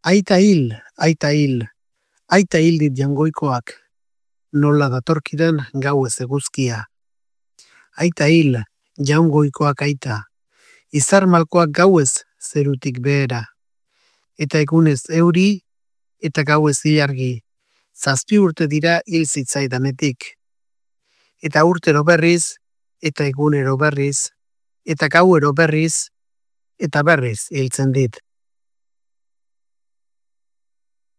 Aita hil, aita hil dit jangoikoak, nola datorkidan gauez eguzkia. Aita hil, jaungoikoak aita, izar malkoak gauez zerutik behera. Eta egunez euri, eta gauez ilargi, 7 urte dira hil zitzaidanetik. Eta urtero berriz, eta egunero berriz, eta gauero berriz, eta berriz hiltzen dit.